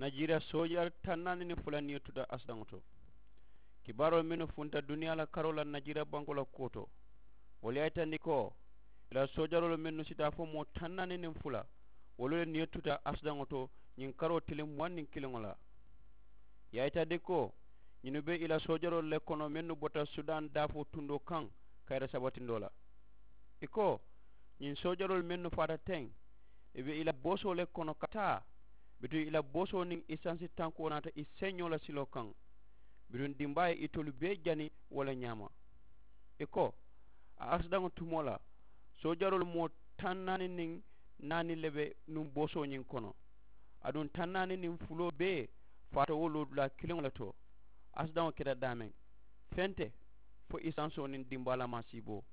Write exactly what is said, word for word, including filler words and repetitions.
Najira soojaari taŋ naani niŋ fula niyo tuta asidaŋo to. Kibaaroo mennu funta duniyaa la karoo la najira bankoo la kuwo to, wolu ye a yitandi ko i la soojaroolu mennu sita fo moo taŋ naani niŋ fula, wolu le niyo tuta asidaŋo to ñiŋ karoo tiliŋ muwaŋ niŋ kiliŋo la. Ye a yitandi ko ñinnu be i la soojaroolu le kono mennu bota sudaŋ daafoo tundoo kaŋ kayira sabatindoo la. I ko ñiŋ soojaroolu mennu faata teŋ, i be i la boosoo le kono ka taa, bituŋ i la boosoo niŋ isansi tankoo naata i seeñoo la siloo kaŋ, bituŋ dimbaa ye itolu bee jani wo le ñaama. I ko a asidaŋo tumoo la, soojaroolu moo taŋ naani niŋ naani le be nuŋ boosoo ñiŋ kono, aduŋ taŋ naani niŋ fuloo bee faata wo loodulaa kiliŋo le to. Asidaŋo keta daameŋ fente, fo isansoo niŋ dimbaa la maasiiboo.